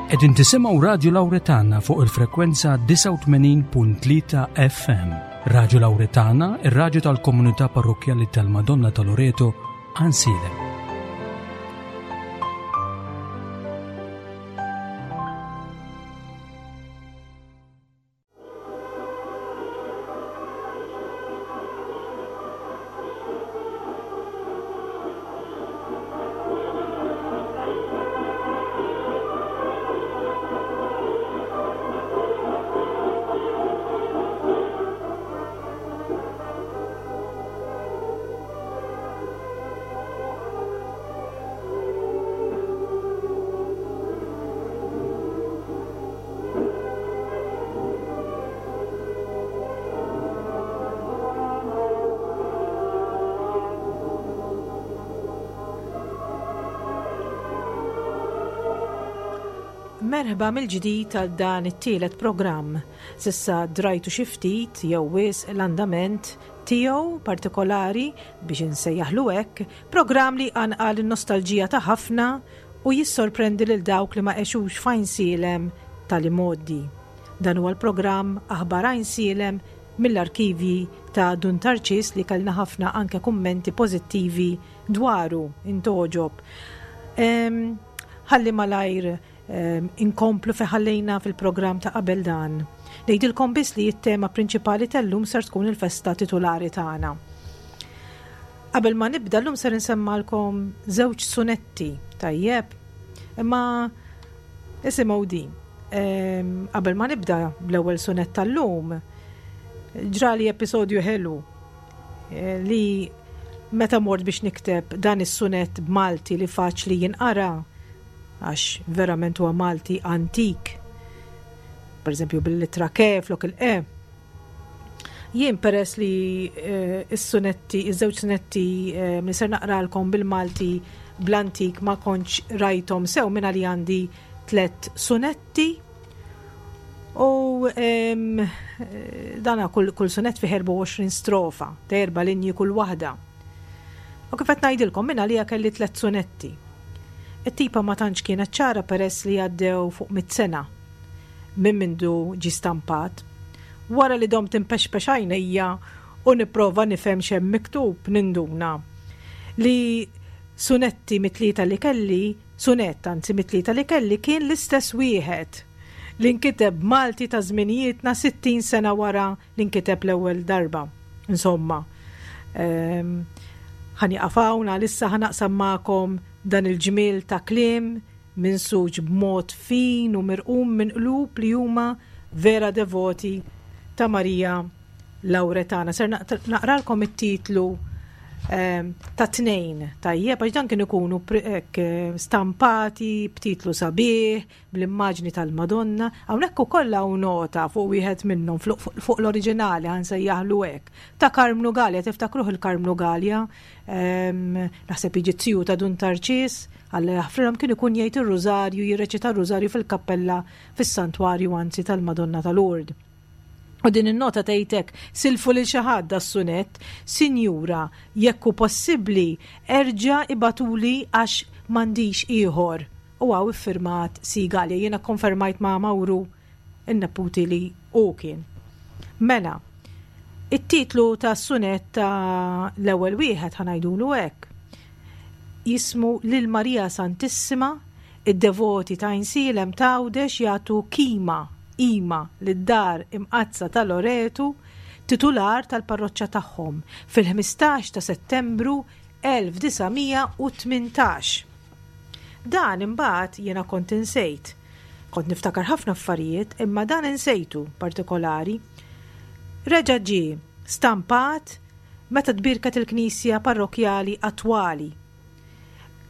Qegħdin tisimgħu Radju Lawretana fuq il-frekwenza 89.3 FM. Radju Lawretana, ir-radju tal-komunità parrokkjali tal-Madonna ta' Loreto, Għansielem. Merħba mill-ġdid għal dan it-tielet programm. Sissa drajtu xi ftit jew wisq l-andament tiegħu partikolari biex insejjaħlu hekk, programm li jqanqal in-nostalġija ta' ħafna u jissorprendi lil dawk li ma għexux f'Għajnsielem tal-imgħoddi. Dan huwa l-programm Aħbar Għajnsielem mill-arkivji ta' Dun Tarċis li kellna ħafna anke kummenti pożittivi dwaru, intgħoġob. Ħalli malajr inkomplu fejn ħallejna fil-programm ta' qabel dan. Ngħidilkom biss li t-tema prinċipali tal-lum ser tkun il-festa titulari tagħna. Qabel ma nibda llum ser insemmalkom żewġ sunetti, tajjeb? Imma isimgħu din. Qabel ma nibda bl-ewwel sunett tal-lum, ġrali episodju ħelu eh, li meta mort biex nikteb dan is-sunett b'Malti li faċli jinqara għax verament huwa Malti antik. Per eżempju bil-litra ke flok il-e. Jien peress li eh, s-sunetti, iż-żewġ sunetti eh, li ser naqralkom bil-Malti bl-antik ma kontx rajthom sew minna li għandi tlett sunetti u eh, dana kull, kull sunett fi 24 strofa, ta' erba' linji kull waħda. U kif qed ngħidilkom minna li kelli tlett sunetti. It-tipa ma tantx kienet ċara peress li għaddew fuq mit sena minn mindu ġie stampat. Wara li domt inpexpex għajnejja u nipprova nifhem x'hemm miktub ninduna li sunetti mit-tlieta li kelli, sunett anzi mit-tlieta li kelli kien l-istess wieħed li nkiteb b'Malti ta' żminijietna 60 sena wara li nkiteb l-ewwel darba. Insomma, ehm, ħa nieqaf hawn għalissa ħa naqsam magħkom dan il-ġmiel ta' kliem minsuġ b'mod fin u mirqum minn qlub li huma vera devoti ta' Marija Lawretana. Ser naqralkom it-titlu ehm, ta' tnejn tajjeb għax dan kien ikunu eh, stampati b'titlu sabiħ, bl-immaġni tal-Madonna. Hawnhekk ukoll hawn nota fuq wieħed minnhom fuq l-oriġinali ħa nsejjaħlu hekk. Ta' Karmnu Galea, tiftakruh il-Karmnu Galea? Ehm, naħseb jiġi tiju ta' Dun Tarċis, Alla jaħfrilhom kien ikun jgħid ir-rużarju, jirreċita r-rużarju fil-kappella fis-santwarju anzi tal-Madonna ta' Lourdes. U din in-nota tgħid hekk, silfu lil xi ħadd das-sunett, Sinjura, jekk hu possibbli, erġa' ibagħtuli għax m'għandix ieħor. U hawn iffirmat C. Galea. Jiena kkonfermajt ma' Mawru n-neputi li hu kien. Mela, it-titlu tas-sunett ta' l-ewwel wieħed ħa ngħidulu hekk. Jismu Lil Marija Santissima, id-devoti ta' Għajnsielem t'Għawdex jagħtu kima, qima, lid-Dar Imqaddsa ta' Loretu, titular tal-parroċċa tagħhom, fil-15 ta' Settembru 1918. Dan imbagħad jiena kont insejt. Kont niftakar ħafna affarijiet imma dan insejtu partikolari. Reġa' ġie stampat meta tbierket il-knisja parrokkjali attwali.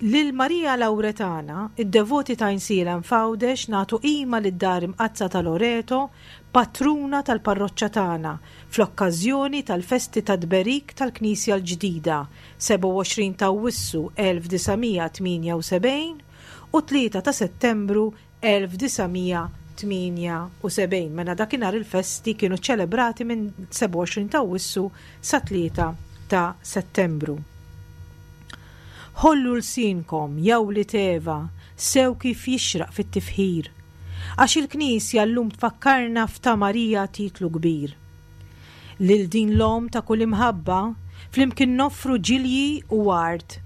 Lil Marija Lawretana, id-devoti ta' Għajnsielem f'Għawdex nagħtu qima lid-Dar Imqaddsa ta' Loreto, patruna tal-parroċċa tagħna, fl-okkażjoni tal-festi tat-tberik tal-knisja l-ġdida, 27 ta' Awwissu 1978 u 3 ta' Settembru 1978. Mela dakinhar il-festi kienu ċċelebrati minn 27 ta' Awwissu sa 3 ta' Settembru. Ħollu lsienkom, ja wlied Eva, sew kif jixraq fit-tifħir. Għax il-Knisja llum tfakkarna f'ta' Marija titlu kbir. Lil din l-Omm ta' kull imħabba, flimkien noffru ġilji u ward,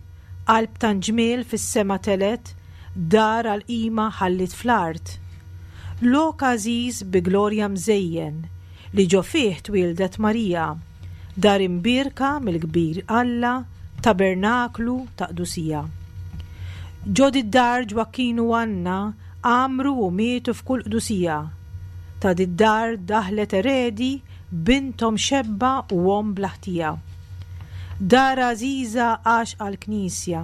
qalb tant ġmiel fis-sema telgħet, dar għall-qima ħalliet fl-art. Lok għażiż bi glorja mżejjen, li ġo fih twieldet Marija, dar imbierka mill-kbir Alla, tabernaklu ta' qdusija. Ġo did-dar Ġwakkin u Anna għammru u mietu f'kull qdusija. Ta' did-dar daħlet eredi binthom xebba u omm bla ħtija. Dar għażiża għaxqa l-Knisja,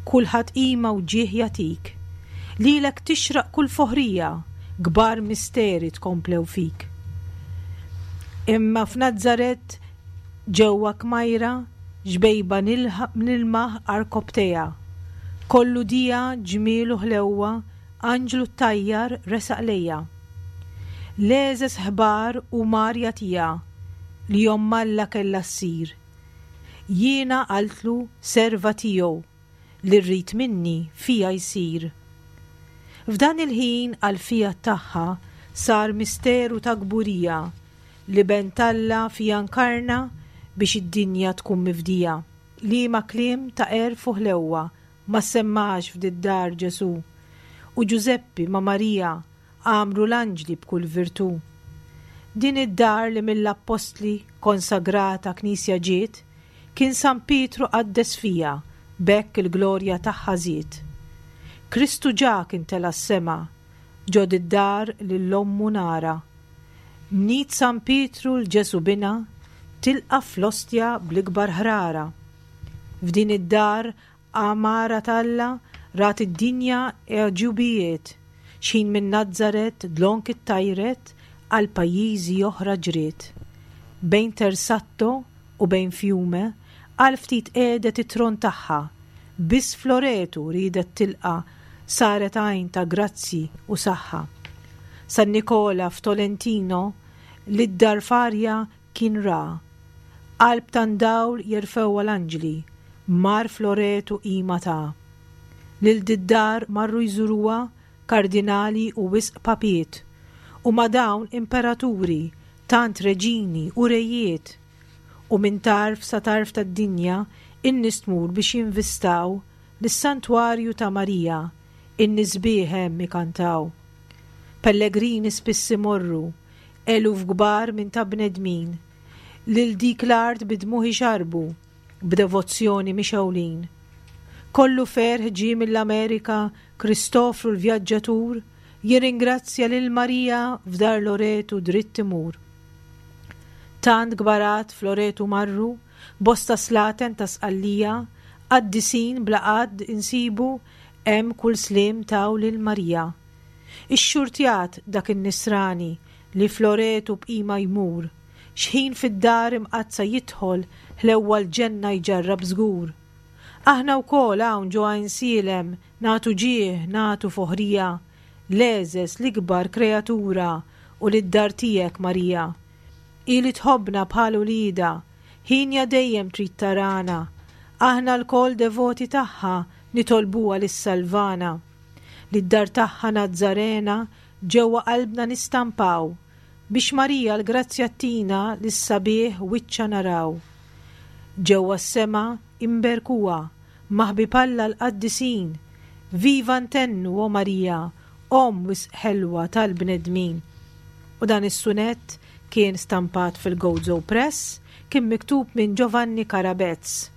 kulħadd qima u ġieħ jagħtik. Lilek tixraq kull foħrija, kbar misteri tkomplew fik. Imma f'Nazaret ġewwa kmajra, xbejba nilmaħ għarkopptejha. Kollu dija, ġmiel u ħlewwa, anġlu ttajjar resaq lejha. L-għeżeż ħbar u mar jagħtiha li omm Alla kellha ssir. Jiena qaltlu serva tiegħu li rrid minni fija jsir. F'dan il-ħin għall-fiat tagħha sar misteru ta' kburija L-Iben t'Alla fija nkarna biex id-dinja tkun mifdija. Liema kliem ta' għerf u ħlewwa ma ssemmax f'did-dar Ġesù! U Ġużeppi ma' Marija għamru l-anġli b'kull virtù. Din id-dar li mill-appostli konsagrata knisja ġiet, kien San Pietru qaddes fiha, b'hekk il-glorja tagħha żied. Kristu ġa kien tela' s-sema, ġo did-dar lil ommu nara. Mnit San Pietru 'l Ġesù Binha tilqa' fl-ostja bl-ikbar ħrara. F'din id-dar għamara t'Alla rat id-dinja għeġubijiet, x'ħin minn Nazaret dlonk ittajret għal pajjiżi oħra ġriet. Bejn Tersatto u bejn Fiume għal ftit qiegħdet it-tron tagħha, biss f'Loretu riedet tilqa' saret għajn ta' grazzji u saħħa. San Nikola f'Tolentino lid-dar f'arja kien ra. Qalb tant dawl jerfgħuha l-anġli, mar f'Loretu qima ta. Lil did-dar marru jżuruha kardinali u wisq papiet, u ma' dawn imperaturi, tant reġini u rejiet. U minn tarf sa tarf tad-dinja in-nies tmur biex jinvistaw lis-Santwarju ta' Marija, in-nies sbieħ hemm ikantaw. Pellegrini spiss imorru, eluf kbar minn ta' bnedmin, lil dik l-art bi dmugħ ixarrbu, b'devozzjoni mixgħulin. Kollu ferħ ġie mill-Amerika Kristofru l-vjaġġatur jirringrazzja lil Marija f'dar Loretu dritt imur. Tant kbarat f'Loretu marru, bosta slaten ta' Sqallija, qaddisin bla għadd insibu hemm kull sliem taw lil Marija. Ixxurtjat dak in-nisrani li f'Loretu b'qima jmur, x'ħin fid-dar imqaddsa jidħol ħlewwa l-ġenna jġarrab żgur. Aħna wkoll hawn ġo Għajnsielem nagħtu ġieħ, nagħtu foħrija l-għeżeż, l-ikbar kreatura u lid-dar tiegħek Marija. Hi li tħobbna bħal uliedha, hienja dejjem trid tarana. Aħna lkoll devoti tagħha nitolbuha li ssalvana. Lid-dar tagħha Nazzarena ġewwa qalbna nistampaw, biex Marija l-grazzja ttina li s-sabiħ wiċċha naraw. Ġewwa s-sema imberkuha ma' ħbieb Alla l-qaddisin. Viva ntennu, o Marija, Omm wisq ħelwa tal-bnedmin. U dan is-sunett kien stampat fil-Gozo Press, kien miktub minn Giovanni Carabez.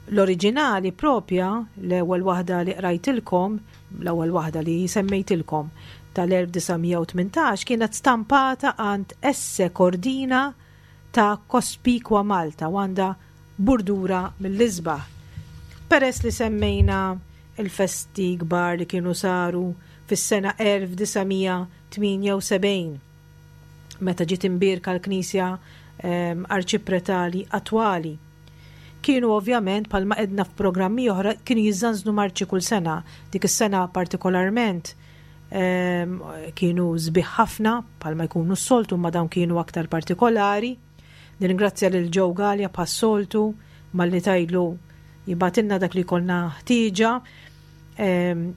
L-oriġinali propja, l-ewwel waħda li qrajtilkom, l-ewwel waħda li semmejtilkom, tal-1918 kienet stampata għand Esse Cordina ta' Cospicua Malta u għandha burdura mill-isbaħ. Peress li semmejna l-festi kbar li kienu saru fis-sena 1978 meta ġiet imbierka l-Knisja ehm, Arċipretali attwali. Kienu ovvjament bħalma edna f'programmi oħra kienu jiżżanżnu marċi kull sena. Dik is-sena partikolarment ehm, kienu sbieħ ħafna bħalma jkunu s-soltu ma dawn kienu aktar partikolari. Nirringrazzja lil Joe Galea bħas-soltu malli tgħidlu jibgħatilna dak li jkollna ħtieġa. Ehm,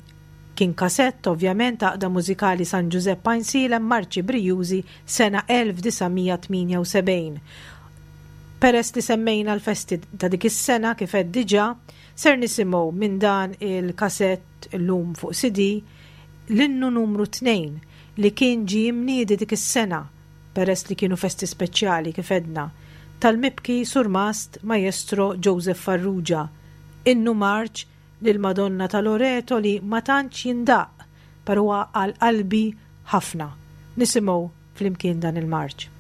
Kien kasett, ovvjament, Għaqda Mużikali San Ġużepp Għajnsielem, Marċi Brijużi, sena 1978. Peress li semmejna l-festi ta' dik is-sena kif għedt diġà, ser nisimgħu minn dan il-kasett illum fuq CD l-innu numru 2 li kien ġie imniedi dik is-sena, peress li kienu festi speċjali kif għedna, tal-mibki Surmast Maestro Joseph Farrugia, innu marċ lill-Madonna ta' Loreto li ma tantx jindaqq, però huwa għal qalbi ħafna. Nisimgħu flimkien dan il-marċ.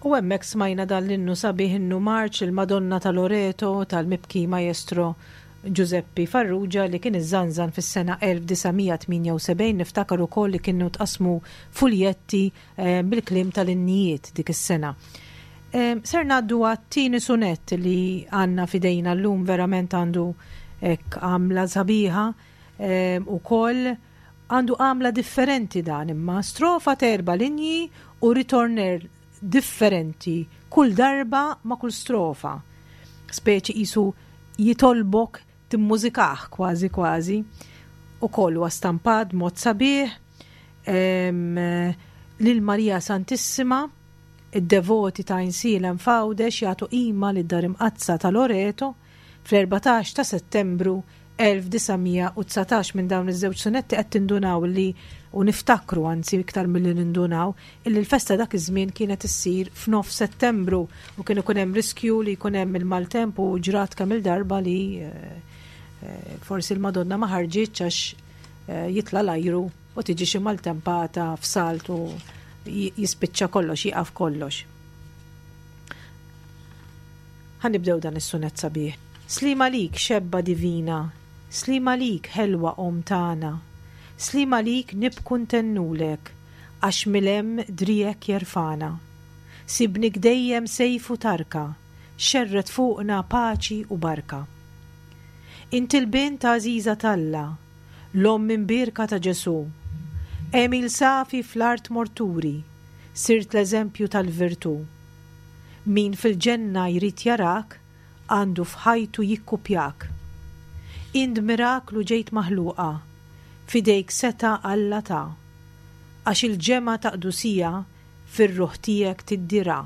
U hemmhekk smajna dan l-innu sabiħ innu marċ il-Madonna ta' Loreto tal-mibki Maestro Giuseppe Farrugia li kien iżżanżan fis-sena 1978 niftakar ukoll li kienu tqassmu fuljetti eh, bil-kliem tal-innijiet dik is-sena. Eh, ser ngħaddu għat-tieni sunett li għandna fidejna llum verament għandu hekk għamla sabiħa eh, ukoll għandu għamla differenti dan imma strofa terba linji u ritorner differenti kull darba ma' kull strofa. Speċi qisu jitolbok timmużikah kważi kważi. Ukoll huwa stampat b'mod sabiħ lil Marija Santissima, id-devoti ta' Għajnsielem f'Għawdex jagħtu qima lid-Dar Imqaddsa ta' Loreto fl-14 ta' Settembru 1919 minn dawn iż-żewġ sunetti qed tindunaw li u niftakru anzi iktar milli nindunaw illi l-festa dak iż-żmien kienet issir f'nofs Settembru u kien ikun hemm riskju li jkun hemm il-maltemp u ġrat kemm il-darba li eh, eh, forsi l-Madonna ma ħarġitx għax eh, jitla' l-ajru u tiġi xi maltempata f'salt u jispiċċa kollox, jieqaf kollox. Ħa nibdew dan is-sunett sabiħ. Sliem għalik xebba divina, sliem għalik ħelwa Omm tagħna, sliem għalik nibku ntennulek, għax mil-hemm driegħek jerfagħna. Sibnik dejjem sejf u tarka, xerred fuqna paċi u barka. Int il-bint għażiża t'Alla, l-Omm imbierka ta' Ġesù. Għemil safi fl-art mort turi, sirt l-eżempju tal-virtù. Min fil-ġenna jrid jarak, għandu f'ħajtu jikkupjak. Int miraklu ġejt maħluqa, f'idejk setgħa Alla ta. Għax il-ġemgħa ta' qdusija fir-ruħ tiegħek tiddi ra.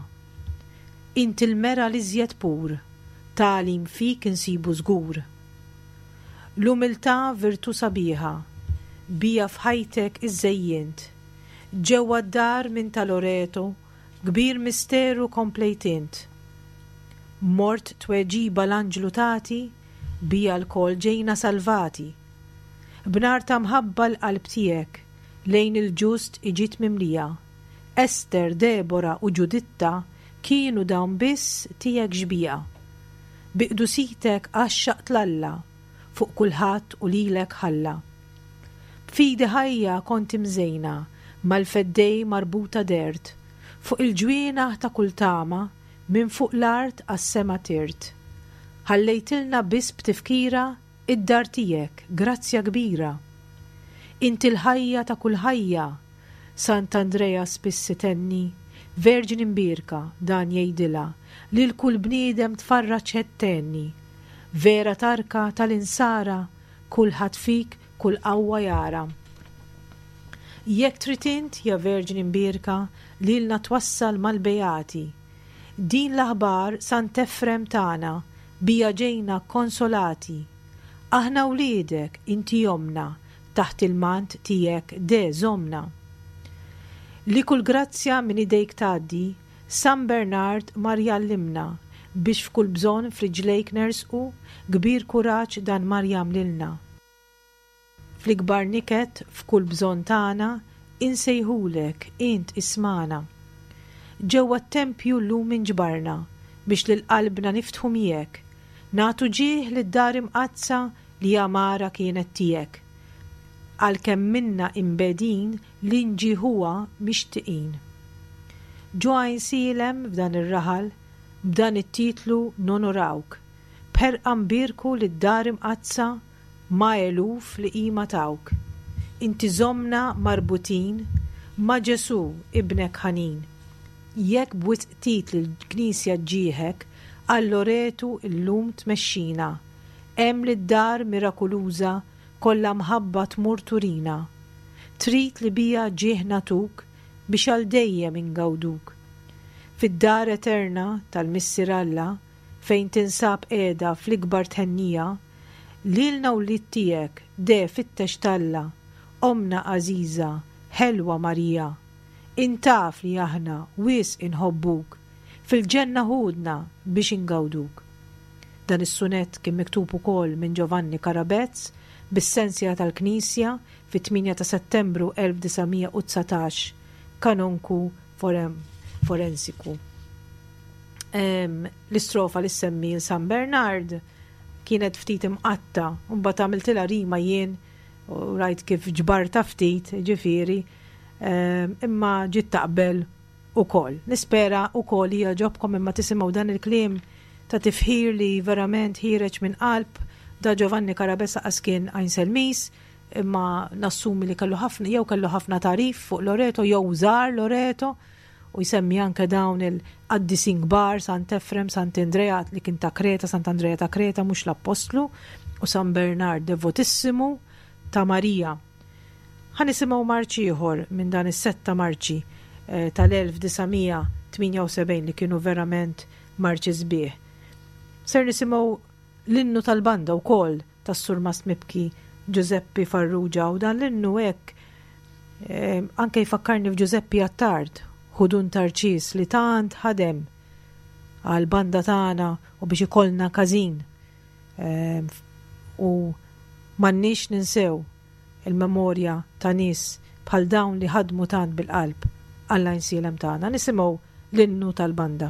Int il-mera l-iżjed pur, tagħlim fik insibu żgur. L-umiltà virtù sabiħa, bija f'ħajtek iżżejjint. Ġewwa d-dar minn ta' Loreto, kbir misteru komplejt int. Mort tweġiba l-anġlu tagħti, bija lkoll ġejna salvati. B'nar ta' mħabba l-qalb tiegħek, lejn il-ġust iġiet mimlija. Ester, Debora u Ġuditta kienu dawn biss tiegħek xbieha. Bi qdusitek għaxxaqt 'l Alla, fuq kulħadd u lilek ħalla. B'fidi ħajja kont imżejna, mal-Feddej marbuta dehrt, fuq il-ġwienaħ ta' kull tama, minn fuq l-art għas-sema tirt. Ħallejtilna biss b'tifkira id-dar tiegħek, grazzja kbira. Inti l-ħajja ta' kull ħajja, Sant'Andrea spiss itenni, Verġni Mbierka, dan jgħidilha, lil kull bniedem tfarraġ qed tgħenni. Vera tarka tal-insara, kulħadd fik kull qawwa jara. Jekk trid int, ja Verġni Mbierka, lilna twassal mal-beati. Din l-aħbar Sant'Efrem tana, bija ġejna kkonsolati. Aħna wliedek, inti ommna, Taħt il-mant tiegħek de żommna. Li kull grazzja minn idejk tgħaddi, San Bernard mar jgħallimna, biex f'kull bżonn f'riġlejk nersqu, kbir kuraġġ dan mar jagħmlilna. Fl-ikbar niket, f'kull bżonn tagħna, insejħulek, int ismagħna. Ġewwa t-tempju llum inġbarna, biex lil qalbna niftħu miegħek, nagħtu ġieħ lid-dar imqaddsa li għamara kienet tiegħek. Għalkemm minna imbegħdin li nġieħuha mixtiqin. Ġo Għajnsielem f'dan ir-raħal, b'dan it-titlu nonorawk, b'ħerqa nbierku lid-Dar Imqaddsa ma' eluf li qima tawk. Inti żommna marbutin ma' Ġesù, Ibnek ħanin. Jekk b'wisq titli l-Knisja ġġieħek, għal Loretu llum tmexxina. Hemm lid-dar mirakuluża kollha mħabba tmur turina. Trid li biha ġieħ nagħtuk biex għal dejjem ingawduk. Fid-dar eterna tal-Missier Alla fejn tinsab qiegħda fl-ikbar thennija, lilna wlied tiegħek de fittex t'Alla, Ommna għażiża, ħelwa Marija. Int taf li aħna wisq inħobbuk, fil-ġenna ħudna biex ingawduk. Dan is-sunett kien miktub ukoll minn Giovanni Carabez bis-sensja tal-Knisja fit-8 ta' Settembru 1919, Kanonku Forensiku. L-istrofa li ssemmi 'l San Bernard kienet ftit imqatta' u mbagħad għamiltilha rima jien u rajt kif ġbartha ftit, ġifieri, imma ġiet taqbel ukoll. Nispera ukoll li jogħġobkom imma tisimgħu dan il-kliem ta' tifħir li verament ħiereġ minn qalb da Giovanni Carabessa qas kien Għajnselmis imma nassumi li kellu ħafna jew kellu ħafna tagħrif fuq Loreto jew żar Loreto u jsemmi anke dawn il-qaddisin kbar Sant Efrem, Sant Andrea li kien ta' Kreta, Sant Andrea ta' Kreta mhux l-Appostlu u San Bernard devotissimu ta' Marija. Ħa nisimgħu marċ ieħor minn dan is-sett ta' marċi tal-1978 li kienu verament marċi sbieħ. Ser nisimgħu l-innu tal-banda wkoll tas-Surmast Mibki Ġużeppi Farrugia u dan l-innu hekk anke jfakkarni f'Ġużeppi Attard, ħudun Tarċis li tant ħadem għall-banda tagħna u biex ikollna każin. U m'għandniex ninsew il-memorja ta' nies bħal dawn li ħadmu tant bil-qalb għall-Għajnsielem tagħna. Nisimgħu l-innu tal-banda.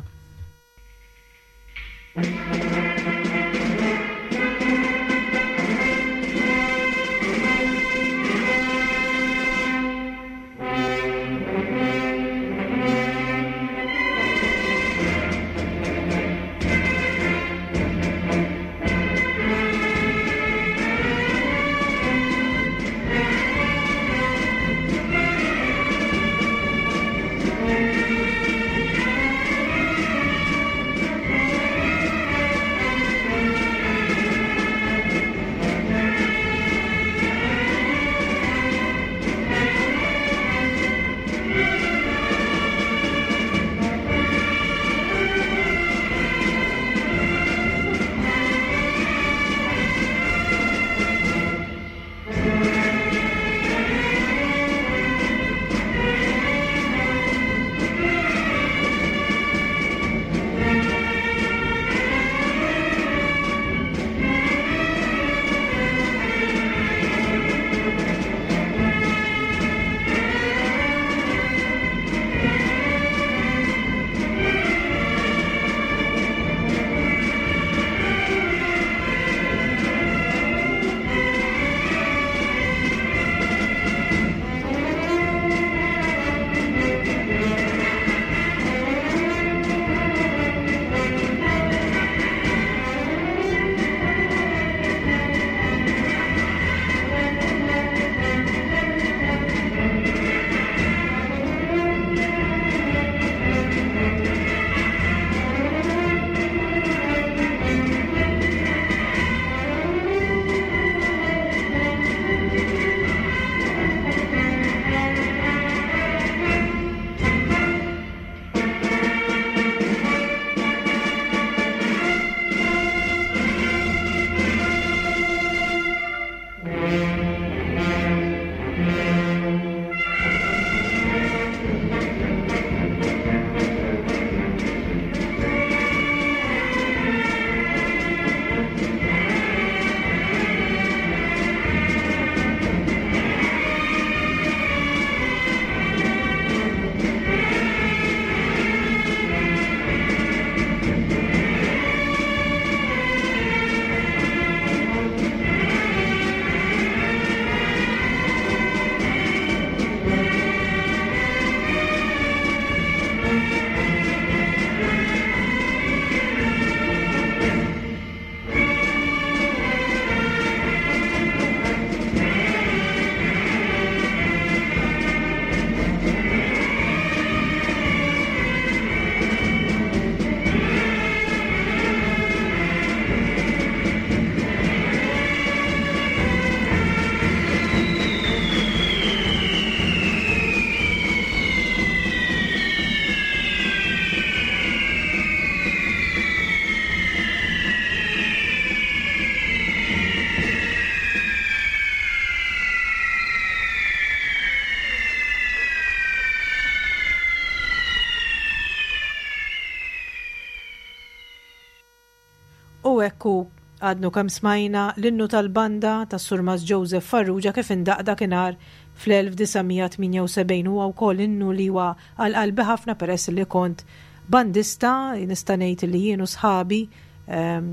hekk hu għadnu kemm smajna l-innu tal-banda tas-Surmast Joseph Farrugia kif indaqq dakinhar fl-1978. Huwa wkoll innu li huwa għal qalbi ħafna peress li kont bandista, nista' ngħid li jien u sħabi ehm,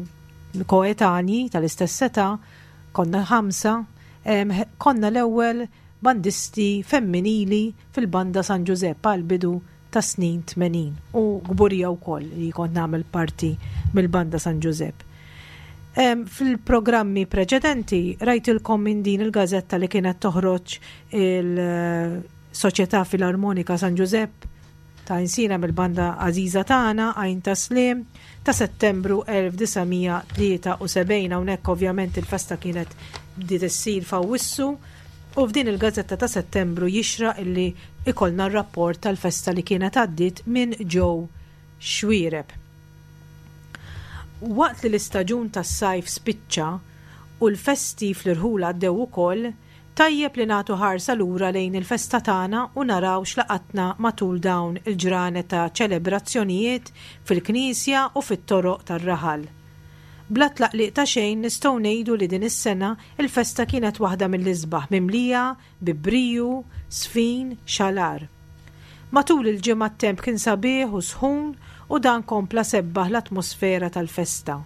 koetanji tal-istess età, konna ħamsa, ehm, konna l-ewwel bandisti femminili fil-banda San Ġużepp għall-bidu tas-snin 80 u kburija wkoll li kont nagħmel parti mill-Banda San Ġużepp. Fil-programmi preċedenti rajtilkom minn din il-gażetta li kienet toħroġ il-Soċjetà Filarmonika San Ġużepp ta' Insina mill-banda għażiża tagħna Għajn ta' Slim ta' Settembru 1973 hawnhekk ovvjament il-festa kienet bdiet issir f'Awwissu U f'din il-gazzetta ta' Settembru jixraq illi ikollna r-rapport tal-festa li kienet għaddiet minn Joe Xuereb. Waqt li l-istaġun tas-sajf spiċċa u l-festi fl-irħula għaddew ukoll, tajjeb li nagħtu ħarsa lura lejn il-festa tagħna u naraw x'laqatna matul dawn il-ġranet ta' ċelebrazzjonijiet fil-knisja u fit-toroq tar-raħal. Bla tlaqliq ta' xejn nistgħu ngħidu li din is-sena l-festa kienet waħda mill-isbaħ mimlija bi briju, żfin, xalar. Matul il-ġimgħa t-temp kien sabiħ u sħun u dan kompla sebbaħ l-atmosfera tal-festa.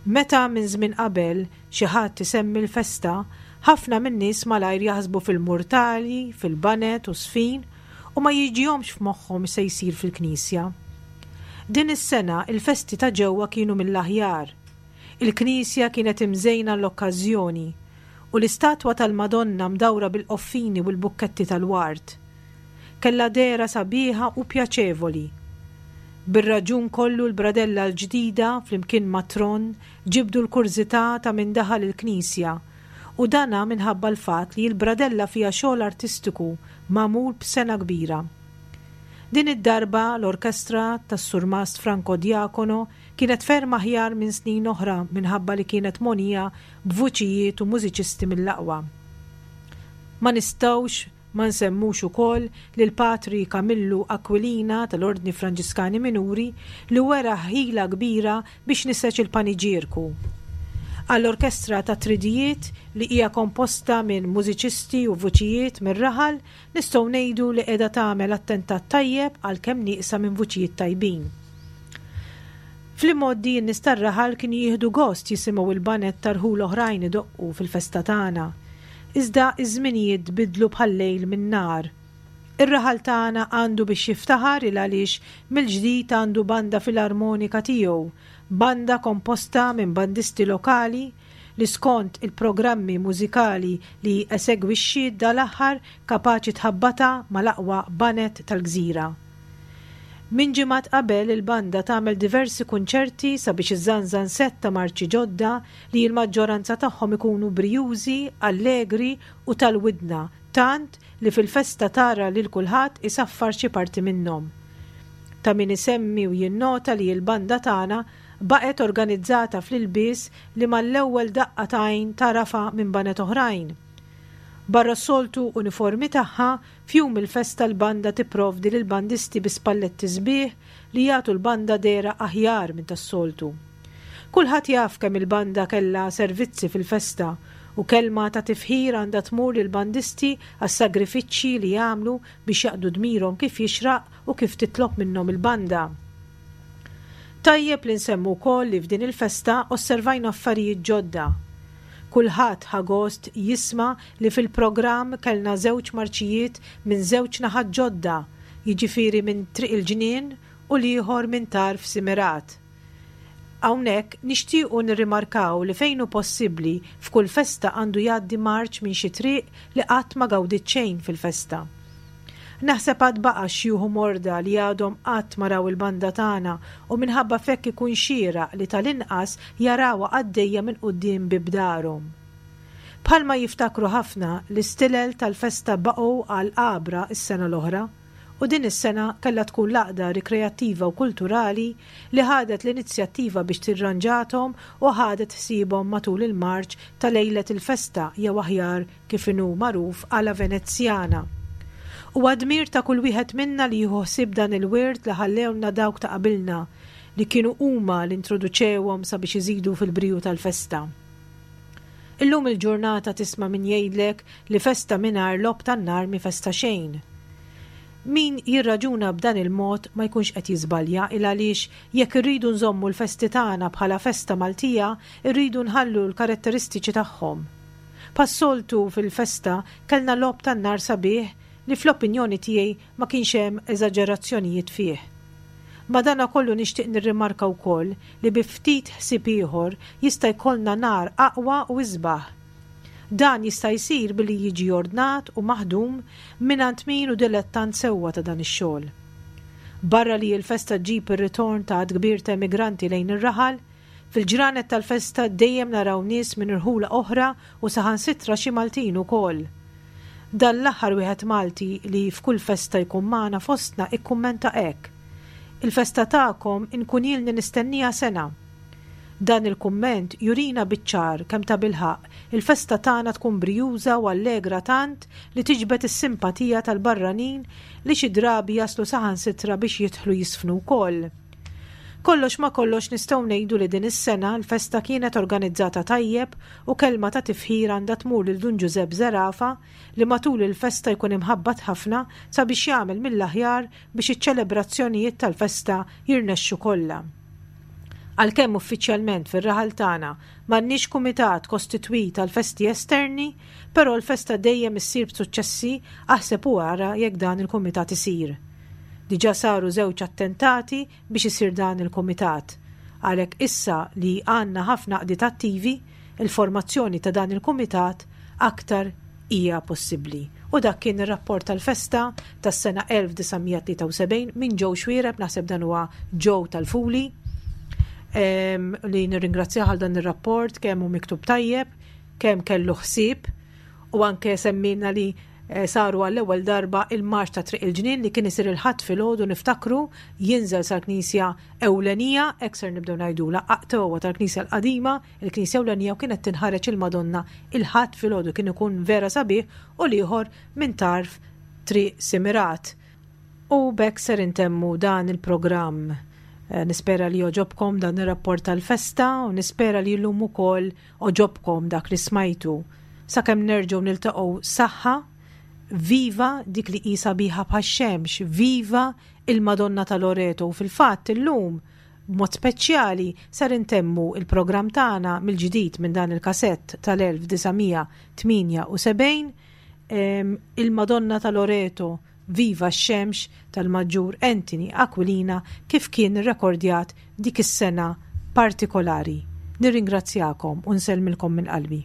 Meta minn żmien qabel xi ħadd isemmi l-festa, ħafna min-nies malajr jaħsbu fil-murtali, fil-baned u żfin u ma jiġihomx f'moħħhom x'se jsir fil-knisja. Din is-sena il-festi ta' ġewwa kienu mill-aħjar. Il-knisja kienet imżejna għall-okkażjoni u l-istatwa tal-Madonna mdawra bil-qoffini u l-bukketti tal-ward. Kellha dehra sabiħa u pjaċevoli. Bir-raġun kollu l-bradella l-ġdida flimkien mat-tron ġibdu l-kurżità ta' min daħal il-knisja u dana minħabba l-fatt li l-bradella fiha xogħol artistiku magħmul b'sengħa kbira. Din id-darba l-orkestra tas-Surmast Franco Diacono kienet ferm aħjar minn snin oħra minħabba li kienet mogħnija b'vuċijiet u mużiċisti mill-aqwa. Ma nistgħux Ma nsemmux ukoll lil Patri Kamillu Aquilina tal-Ordni Franġiskani Minuri li wera ħila kbira biex niseġ il-paniġierku. Għall-orkestra tat-tridijiet li hija komposta minn mużiċisti u vuċijiet mir-raħal nistgħu ngħidu li qiegħda tagħmel attentat tajjeb għalkemm nieqsa minn vuċijiet tajbin. Fl-imgħoddi n-nies tar-raħal kienu jieħdu gost jisimgħu l-baned ta' rħul oħrajn idoqqu fil-festa tagħna. Iżda ż-żminijiet tbiddlu bħal-lejl min-nhar. Ir-raħal tagħna għandu biex jiftaħar il għaliex mill-ġdid għandu banda filarmonika tiegħu, banda komposta minn bandisti lokali li skont il-programmi mużikali li esegwixxiet dal-aħħar kapaċi tħabbatha mal-aqwa baned tal-gżira. Minn ġimgħat qabel il-banda tagħmel diversi kunċerti sabiex iżżanżan sett ta' marċi ġodda li l-maġġoranza tagħhom ikunu brijużi, allegri u tal-widna tant li fil-festa tara lil kulħadd isaffar xi parti minnhom. Ta' min isemmi u jinnota li l-banda tagħna baqgħet organizzata fl-ilbies li mal-ewwel daqqa t'għajn tagħrafha minn baned oħrajn. Barra s-soltu uniformi tagħha, F'jum il-festa l-banda tipprovdi lill-bandisti bi spalletti sbieħ li jagħtu l-banda dehra aħjar minn tas-soltu. Kulħadd jaf kemm il-banda kellha servizzi fil-festa u kelma ta' tifħir għandha tmur lill-bandisti għas-sagrifiċċji li jagħmlu biex jaqdu dmirhom kif jixraq u kif titlob minnhom il-banda. Tajjeb li nsemmu wkoll li f'din il-festa osservajna affarijiet ġodda. Kulħadd ħa gost jisma' li fil-programm kellna żewġ marċijiet minn żewġ naħat ġodda, jiġifieri minn Triq il-Ġnien u l-ieħor minn Tarf Simirat. Hawnhekk nixtiequ nirrimarkaw li fejn hu possibbli f'kull festa għandu jgħaddi marċ minn xi triq li qatt ma gawdiet xejn fil-festa. Naħseb għad baqa' xjuħ u morda li għadhom qatt ma raw il-banda tagħna u minħabba f'hekk ikun xieraq li tal-inqas jarawha għaddejja minn quddiem bieb darhom. Bħalma jiftakru ħafna, l-istilel tal-festa baqgħu għal għabra s-sena l-oħra u din is-sena kellha tkun l-Għaqda Rikreattiva u Kulturali li ħadet l-inizjattiva biex tirranġathom u ħadet ħsiebhom matul il-marċ ta' lejlet il-festa jew aħjar kif inhu magħruf għala Venezjana. Huwa dmir ta' kull wieħed minna li jieħu ħsieb dan il-wirt li ħallewlna dawk ta' qabilna. li kienu huma li introduċewhom sabiex iżidu fil-briju tal-festa. Illum il-ġurnata tisma' min jgħidlek li festa mingħajr logħob tan-nar mhi festa xejn. Min jirraġuna b'dan il-mod ma jkunx qed jiżbalja il għaliex jekk irridu nżommu l-festi tagħna bħala festa Maltija rridu nħallu l-karatteristiċi tagħhom. Bħas-soltu fil-festa kellna logħob tan-nar sabiħ li fl-opinjoni tiegħi ma kienx hemm eżaġerazzjonijiet fih. Madanakollu nixtieq nirrimarka wkoll li bi ftit ħsieb ieħor jista' jkollna nar aqwa u isbaħ. Dan jista' jsir billi jiġi ordnat u maħdum mingħand min hu dilettant sewwa ta' dan ix-xogħol. Barra li l-festa ġġib ir-ritorn ta' għadd kbir ta' emigranti lejn ir-raħal, fil-ġranet tal-festa dejjem naraw nies minn irħula oħra u saħansitra xi Maltin ukoll. Dan l-aħħar wieħed Malti li f'kull festa jkun magħna fostna ikkummenta hekk, Il-festa tagħkom inkun ilni nistennieha sena. Dan il-kumment jurina biċ-ċar kemm tabilħaqq il-festa tagħna tkun brijuża u allegra tant li tiġbed is-simpatija tal-barranin li xi drabi jaslu saħansitra biex jidħlu jiżfnu wkoll. Kollox ma' kollox nistgħu ngħidu li din is-sena l-festa kienet organizzata tajjeb u kelma ta' tifħir għandha tmur lil Dun Ġużepp Zerafa li matul il-festa jkun imħabbat ħafna sabiex jagħmel mill-aħjar biex iċ-ċelebrazzjonijiet tal-festa jirnexxu kollha. Għalkemm uffiċjalment fir-raħal tagħna m'għandniex kumitat kostitwit għall-festi esterni, però l-festa dejjem issir b'suċċessi aħseb u ara jekk dan il-kumitat isir. Diġà saru żewġ attentati biex isir dan il-kumitat. Għalhekk issa li għandna ħafna għaqdiet attivi, il-formazzjoni ta' dan il-kumitat aktar hija possibbli. U dak kien ir-rapport tal-festa tas-sena 1973 minn Joe Xuereb, naħseb dan huwa Joe tal-Fuli, li nirringrazzjah għal dan ir-rapport kemm hu miktub tajjeb, kemm kellu ħsieb u anke semmilna li eh, saru għall-ewwel darba il-marċ ta' Triq il-Ġnien li kien isir il-Ħadd filgħodu niftakru jinżel sal-Knisja Ewlenija, hekk ser nibdew ngħidula, aqtewwa tal-Knisja l-Qadima, il-Knisja Ewlenija u kienet tinħareġ il-Madonna il-Ħadd filgħodu kien ikun vera sabiħ u l-ieħor minn tarf Triq Simirat. U b'hekk ser intemmu dan il-programm. Eh, nispera li oġobkom dan ir-rapport tal-festa u nispera li llum ukoll oġobkom dak li smajtu. Sakemm nerġgħu niltaqgħu saħħa, viva dik li hi sabiħa bħax-xemx, viva il-Madonna ta' Loreto u fil-fatt illum B'mod speċjali, ser intemmu il-programm tagħna mill-ġdid minn dan il-kasett tal-1978, Il-Madonna ta' Loreto, Viva x-Xemx tal-Maġġur Anthony Aquilina kif kien irrekordjat dik is-sena partikolari. Nirringrazzjakom u nsellmilkom minn qalbi.